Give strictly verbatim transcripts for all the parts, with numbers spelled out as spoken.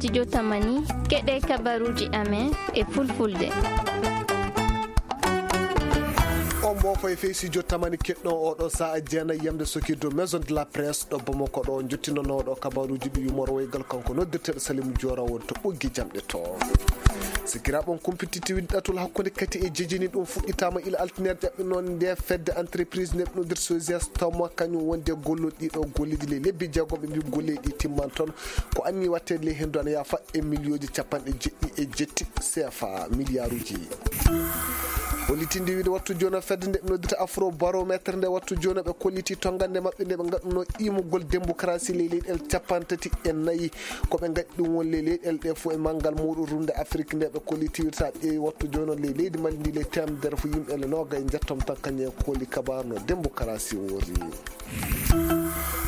Studio Tamani, keɗee kabaruuji amen e fulfulde. On mboofo e fey studio Tamani keɗɗon oo ɗoo sa'a jeenay yamde sokirdu Maison de la Presse ɗo Bamako ɗo, njottinanooɗo kabaruuji ɗi yumorowaygal kanko noddirteeɗo Salim Diora won to ɓoggi jamɗe to. Sikiraaɓe on kumpititti ɗatal hakkunde kati e jejini ɗum fuɗɗitaama ila altine ƴaɓɓinoonde fedde entreprise neɗɗo noddirteeɗo Sosias Toma kañum wonde golloɗo ɗiɗo golleeji ley lebbi jeegom ɓe mbii golleeji ɗi timman toon. Ko anni waɗteede ley henndu ana yaafa e miliyooji capanɗe jeɗɗi e jetti C F A, miliyaaruuji. Hollitinde wiide wattu jooni o fedde nde ɓe noddata Afro Barométre nde wattu jooni o ɓe kolliti tongannde maɓɓe nde ɓe ngaɗunoo iimugol démocratie ley leyɗeele capanɗe tati e nayi. Ko ɓe ngaɗi ɗum won ley leyɗeele ɗee fof e manngal muuɗum rumde Afrik nde ɓe kolliti wiide so a ƴeewi wattu jooni o ley leydi Mali ndi ley teemedere fof yimɓe ele noogay njettom tan kañum e kooli kabaarno démocratie woori.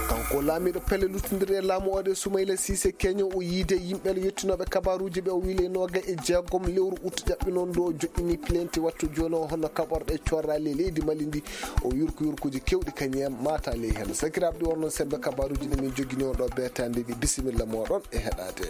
Kanko laamiiɗo pelle luttindirɗe e laamu oo ɗe Soumaïla Cissé Keño o yiide yimɓe le yettinooɓe kabaaruuji ɓe o wii le noogay e jeegom lewru ut ƴaɓɓinoondu o joɗɗini plainte wattu jooni o hono kaɓorɗe corra ley leydi Mali ndi o yurku yurkuuji kewɗi kañum en maata ley heen sakiraaɓe ɗi wonno sembe kabaaruuji ɗi min jogini on ɗo beetaande ɗi bisimilla mooɗon e heɗaade.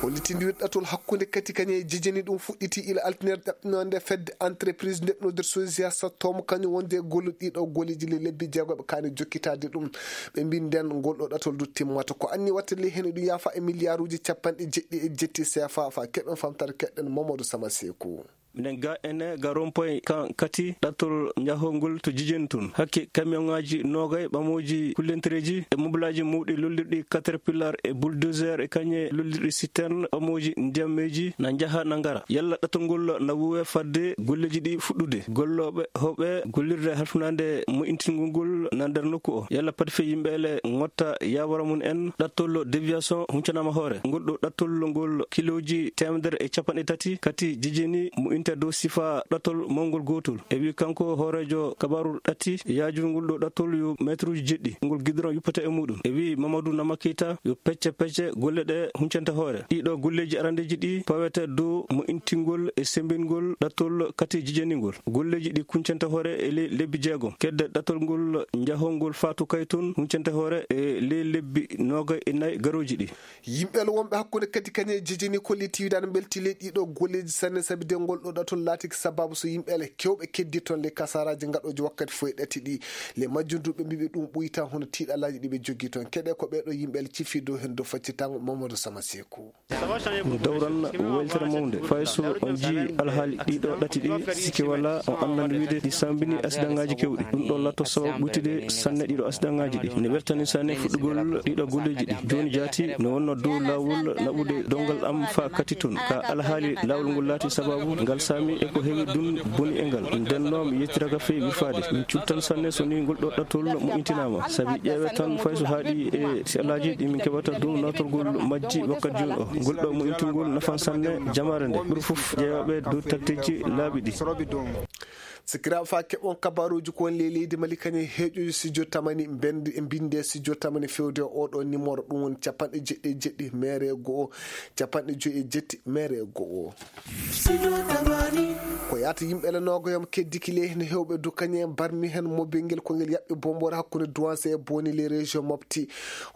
Hollitinde wiɗɗatol hakkunde kati kañum e jejeni ɗum fuɗɗiti ila altine ɗaɓɓinoonde fedde entreprise ndeɓnodir sosiya sattom kañum wonde e golluɗo ɗiɗo golleeji le lebbi jeegoɓe kaani jokkitaade ɗum. Ɓe mbii nden ngol ɗo ɗatol du timmata ko anni watta ley hene ɗum yaafa e miliyaaruuji capanɗe jeɗɗi e jetti seefa fa keɓen famtare keɗɗen mamadou sama seeku. Minen ga ene ga rompoy kan kati ɗattol njahongol to jijeni tun hakke kamiyonŋaaji noogay ɓamooji kullentereeji e mobilaaji mawɗi lollirɗi katerpilar e buldozer e kañe lollirɗi siterne ɓamooji ndiyammeeji na njaha na ngara yalla ɗattol ngol na wuuwe fadde golleeji ɗi fuɗɗude gollooɓe hooɓe gollirde halfinaande mo'intingol ngol na nder nokku o yalla pati fii yimɓe ele ngotta yaawara mum en ɗattol deviation huncanaama hoore ngol ɗo ɗattol ngol kilooji teemedere e capanɗe tati kati jijini mo'inta dow sifa ɗattol mawngol gootol e wii kanko hooreejo kabaaru ɗatti yaajuru ngol ɗo ɗattol yo meetruuji jeɗɗi ngol gidoron yuppata e muuɗum e wii mamadou namakita yo pecce pecce golle ɗe huncanta hoore ɗiɗo golleeji arandeeji ɗi pawete dow mo'intingol e semmbingol ɗattol kati jijeningol golleeji ɗi kuncanta hoore e ley lebbi jeegom kedde ɗattol ngol njahongol faatu kay tun huncanta hoore e ley lebbi noogay e nayi garooji ɗi. Yimɓe ele wonɓe hakkunde kadi kañe e jejeni kollitiiɗi ana mbelti ley ɗiɗo golleeji sanne sabi de ngol ɗo ɗatol laatiki sabaabu so yimɓe ele kewɓe keddi toon ley kasaraaji ngaɗooji wakkati fof e ɗati ɗi. Ley majjum du ɓe mbii ɓe ɗum ɓuyta hono tiiɗalaaji ɗi ɓe jogii toon keɗe ko ɓee ɗo yimɓe ele cifii dow heen dow faccitango mamadou sama seeku. Ɗum dawran weltere mawnde fay so on njii alhaali ɗiɗo ɗati ɗi sikke wala on anndan wiide ɗi sambini asidaŋaaji kewɗi ɗum ɗo latto sababu ɓuytude sanne ɗiɗo asidaŋaaji ɗi ne weltani sanne fuɗɗugol ɗiɗo golleeji ɗi jooni jaati no wonno dow laawol naɓude dongal am faa kati toon ka alhaali laawol ngol laati sababu ngal saami e ko heewi ɗum boni e ngal nden noon mi yettiraka fii wirfaade min cuttan sanne so ni ngol ɗo ɗattol mo intinaama sabi ƴeewe tan fay so haaɗi e si alaaji ɗi min keɓata dow nawtorgol majji wakkati jooni o ngol ɗo mo intugol nafan sanne jamaare nde ɓuri fof ƴeewaaɓe dow takteeji laaɓi ɗi. Sikiraaɓe faa keɓon kabaaruuji ko woni ley leydi mali kañum heeƴuji sijo tamani mbendi e mbinde sijo tamani fewde o oɗo nimoro ɗum woni capanɗe jeɗɗi e jeɗɗi mere e go'o capanɗe joyi e jetti mere e go'o. Ko yaata yimɓe le noogoyam keddiki ley heen heewɓe du kañum en barmi heen mobil ngel ko ngel yaɓɓi bomboore hakkunde duwanse e boni les régions mofti.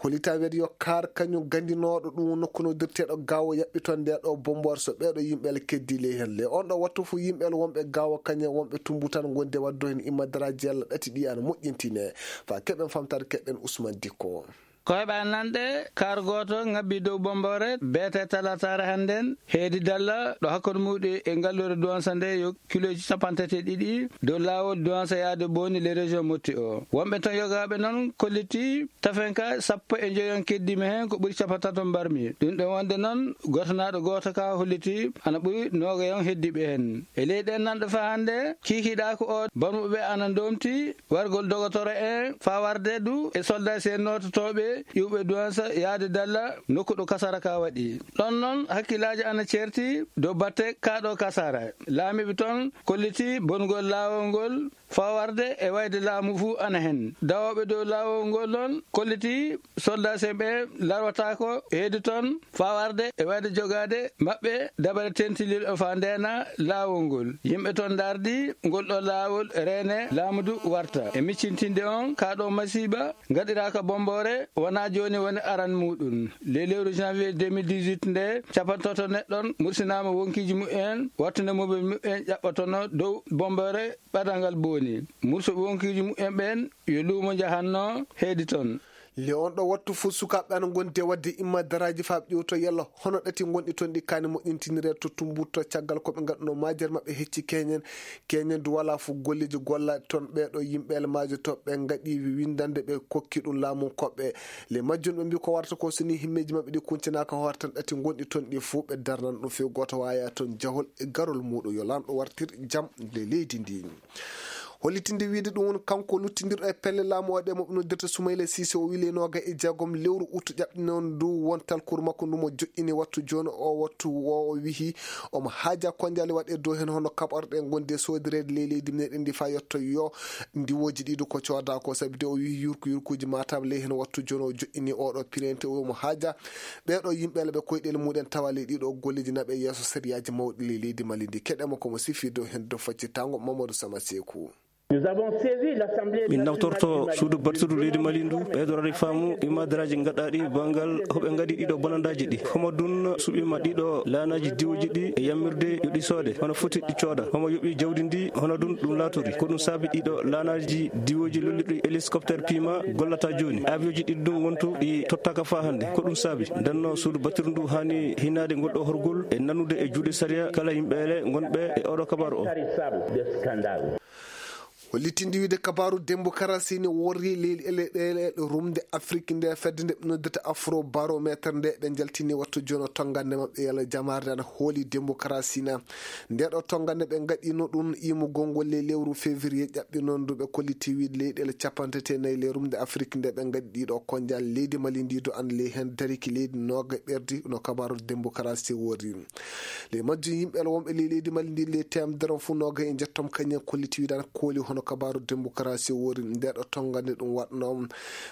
Holita wiyata yo kaar kañum ganndinooɗo ɗum nokku noddirteeɗo gaawo yaɓɓi toon nde ɗo bomboore so ɓee ɗo yimɓe le keddi ley heen le on ɗo wattu fof yimɓe le wonɓe gaawo kañum en wonɓe tumbutan ngonde waddo heen immadaraaji yalla ɗati ɗi ana moƴƴintine. Faa keɓen famtaade keɗɗen usman dikko. Koyɓa nanɗe kaar gooto ŋabbi dow bomboore beete talataare hannden heedi dalla ɗo hakkunde muuɗi e ngalluure duwansa nde yo kilooji capanɗe tati e ɗiɗi dow laawol duwansa yaade booni le région motti o wonɓe ton yogaaɓe noon kolliti tafenka sappo e njoyon keddima heen ko ɓuri capantato mbarmi ɗum ɗo wonde noon gotanaaɗo gooto ka holliti ana ɓuri noogayon heddiɓe heen e ley ɗen nanɗo fa hannde kiikiɗaako o barmuɓe ana ndomti wargol dogotoro en faa warde du e soldat si en noototooɓe iwɓe duwansa yaade dalla nokku ɗo kasara ka waɗi ɗon noon hakkillaaji ana ceerti dow batte kaa ɗo kasara laamiiɓe toon kolliti bongol laawol ngol faa warde e wayde laamu fuu ana heen dawooɓe dow laawol ngol noon kolliti soldat si en ɓe larwataako heedi toon faa warde e wayde jogaade maɓɓe dabare tentilirɗo faa ndeena laawol ngol yimɓe toon ndaardi ngol ɗo laawol reene laamu du warta e miccintinde on kaa ɗo masiiba ngaɗiraaka bomboore. Wonaa jooni woni aran muuɗum. Ley lewru janvier deux mille dix-huit nde, capanɗe tati neɗɗon mursinaama wonkiiji mumen, wattunde mobel mumen ƴaɓɓotono dow bombeere ɓadal ngal booni. Murso wonkiiji mumen ɓeen yo luumo njahanno heedi toon. Le on ɗo wattu fuu, sukaaɓe ana ngondi e waɗde imma daraaji faa ɓe ƴeewto yalla hono ɗati ngonɗi toon ɗi kaani moƴƴintiniree to Tumbutu caggal ko ɓe ngaɗunoo maajeere maɓɓe hecci keñen. Keñen du walaa fuu golleeji gollaaɗi toon. Ɓee ɗoo yimɓe elmaajo to ɓe ngaɗi winndannde ɓe kokki ɗum laamu koɓɓe. Le majjum ɓe mbii ko warata ko so nii himmeeji maɓɓe ɗi kuncinaaka hoore tan ɗati ngonɗi toon ɗi fuu ɓe darnan ɗum few gooto waaya toon jahol e garol muuɗum. Yo Laamɗo wartir jam le leydi ndi. Hollitinde wiide ɗum woni kanko luttindirɗo e pelle laamu o ɗe mo ɓe noddirta Sumayla Siise, o wii le nooga e jeegom lewru ut ƴaɓɓinoon ndu won talkuru makko ndu mo joƴƴini wattu jooni o, wattu o, o wihi omo haaja konjaale waɗe dow heen hono kaɓorɗe ngonde soodirede ley leydi meɗen ndi faa yotto yo ndiwooji ɗiɗo ko cooda ko sabi de o wihi yurku yurkuuji matam ley heen wattu jooni o joƴƴini oɗo pirente omo haaja ɓee ɗoo yimɓe ala ɓe koyɗel mumen tawa ley ɗii ɗoo golleeji naɓe yeeso sariyaaji mawɗi ley leydi Mali ndi. Keɗen mo ko mo sifi dow heen dow faccitaango Mamadou Sama Seeku. Min nawtorto suudu battiru leydi Mali ndu, ɓeydorade faamu e maadaraaji gaɗaaɗi banngal hoɓe ngaɗi ɗiɗo bonandaaji ɗi. Homo dun suɓima ɗiɗo laanaaji diwooji ɗi e yammirde yo ɗi soode, hono foti ɗi cooda. Homo yoɓi jawdi ndi, hono dun ɗum laatori. Ko ɗum saabi ɗiɗo laanaaji diwooji lollirɗi hélicoptère Puma gollata jooni. Avion ji ɗiɗi ɗum wontu ɗi tottaaka faa hannde. Ko ɗum saabi ndenno suudu battiru ndu haani hinaade ngol ɗo horgol e nanude e juuɗe sariya kala yimɓe ele ngonɓe e oɗo kabaaru o. Hollitinde wiide kabaaru demokarasi ne worri leyɗe ɗe rumde Afrik nde fedde nde ɓe noddata Afrobarometer nde ɓe njaltini wattu jooni o tonngande maɓɓe yalla jamaare ana hooli demokarasi na. Nde ɗo tonngande ɓe ngaɗino ɗum imugol ngol ley lewru février ƴaɓɓi noon ndu ɓe kolliti wiide leyɗe capanɗe tati e nayi ley rumde Afrik nde ɓe ngaɗi ɗiɗo konjal leydi Mali ndi do an ley heen dariki leydi nooga ɓerdi no kabaaru demokarasi worri. Ley majjum yimɓe ala wonɓe ley leydi Mali ndi ley teemedere fuu nooga e njettom kañum kolliti wiide ana kooli hono kabaaru demokarasi worri nde ɗo tonngande ɗum waɗno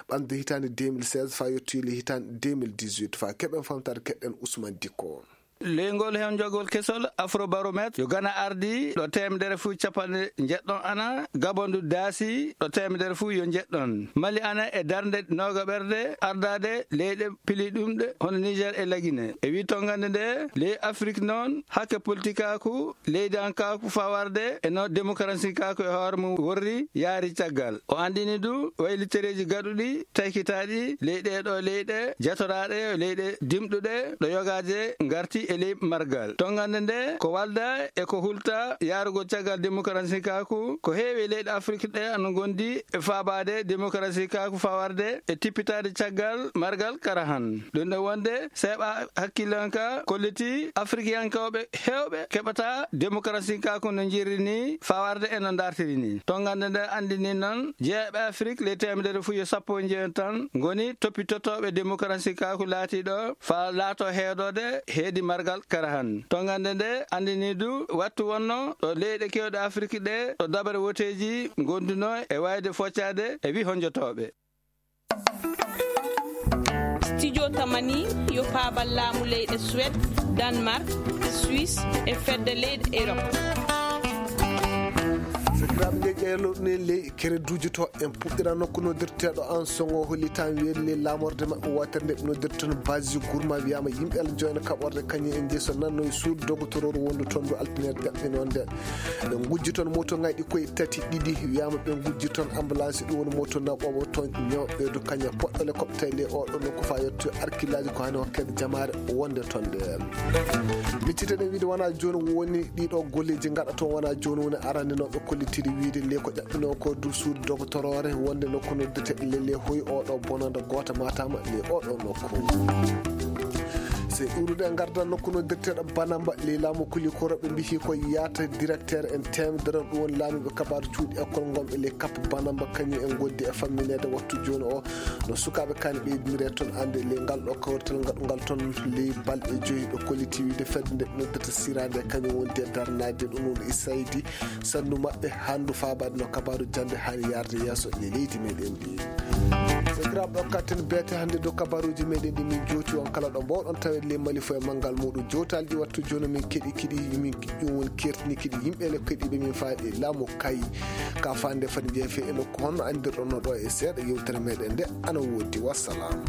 ɓamde hitaande deux mille seize faa yettoyi ley hitaande deux mille dix-huit faa keɓen famtaade keɗɗen Ousmane Dikko. Ley ngol hewnjogol kesol Afrobarometer yo Gana ardi ɗo teemedere fuu capanɗe njeɗɗon ana, Gabon du daasi ɗo teemedere fuu yo njeɗɗon. Mali ana e darnde nooga ɓerde ardaade leyɗe piliɗumɗe hono Niger e Lagine. E wii tonngande nde ley Afrik noon hakke politikaaku leydankaaku faa warde e no demokarasinkaaku e hoore mum worri yaari caggal. O anndini du waylitereeji gaɗuɗi taykitaaɗi ley ɗee ɗoo leyɗe jatoraaɗe leyɗe dimɗuɗe ɗo yogaaje ngarti e ley margal. Tonngande nde ko walda e ko hulta yaarugol caggal demokarasinkaaku ko heewi e leyɗe Afrik ɗe ana ngondi e faabaade demokarasinkaaku faa warde e tippitaade caggal margal karahan. Ɗum ɗo wonde seeɓa hakkillanka kolliti Afrikiyankooɓe heewɓe keɓata demokarasinkaaku no njirri ni faa warde e no ndartiri ni. Tonngande nde anndini noon jeeyaɓe Afrik ley teemedere fuu yo sappo e njeyo tan ngoni toppitotooɓe demokarasinkaaku laatiiɗo faa laato heedoode heedi margal karahan. Tonngande nde anndini du wattu wonno ɗo leyɗe keewɗe Afrik ɗe ɗo dabare woteeji ngondunoo e waayde foccaade e wii honjotooɓe. Studio Tamani yo paabal laamu leyɗe Suwed, Danmark, Suisse e fedde leyɗe Erop. Sakiraaɓe, nde ƴeelo ne ley kere duujuto en puɗɗira nokku noddirteeɗo an songo hollitaan weeri ley laamorde maɓɓe wootere nde ɓe noddirta toon base gurma wiyaama yimɓe ala joyna kaɓorde kañum en jeyi so nannoy suudu dogotororu wondu toon ndu altine jaɓɓinoo nde. Ɓe ngujji toon moto ngayɗi koye tati ɗiɗi, wiyaama ɓe ngujji toon ambulance, ɗum woni moto naɓoowo toon ñawɓe du kaña poɗɗole koɓtay ley oɗo nokku faa yetto arkilaaji ko hani hokkede jamaare wonde toon nde. Micciteɗen wiide wonaa jooni woni ɗiɗo golleeji ngaɗa toon, wonaa jooni woni arannde no ɓe kollitiri wiide ley ko ƴaɓɓinoo ko du suudu dogotoroore wonde nokku noddirteeɗo ley ley hoy oɗo bonanda goota matama ley oɗo nokku. Se iwrude e ngardan nokku noddirteeɗo Banamba ley laamu Kulikoro, ɓe mbihi ko yaata directeur en teemedere, ɗum woni laamiiɓe kabaaru cuuɗi école ngonɓe ley Cap Banamba, kañum en ngondi e fammineede wattu jooni o no sukaaɓe kaani ɓeydiniree toon annde ley ngal ɗo kawrital ngaɗungal toon ley balɗe joyi, ɓe kolliti wiide fedde nde ɓe noddirta siraande kañum wondi e darnaade ɗum woni saydi sannu maɓɓe hanndu faabaade no kabaaru jannde haani yaarde yeeso ley leydi meɗen ndi. Sakiraaɓe, ɗo katten beete hannde dow kabaruuji meɗen ɗi min jooti on kala ɗo mboɗon tawee ley mali fof e manngal muɗum jootaalji wattu jooni min keɗi kiɗi min ɗum woni kertini kiɗi yimɓe le keɗiɓe min faaɗi laamu kayi ka fande fani jeefe e nokku honno anndirɗon no ɗo e seeɗa yewtere meɗen nde ana woodi. Wassalam.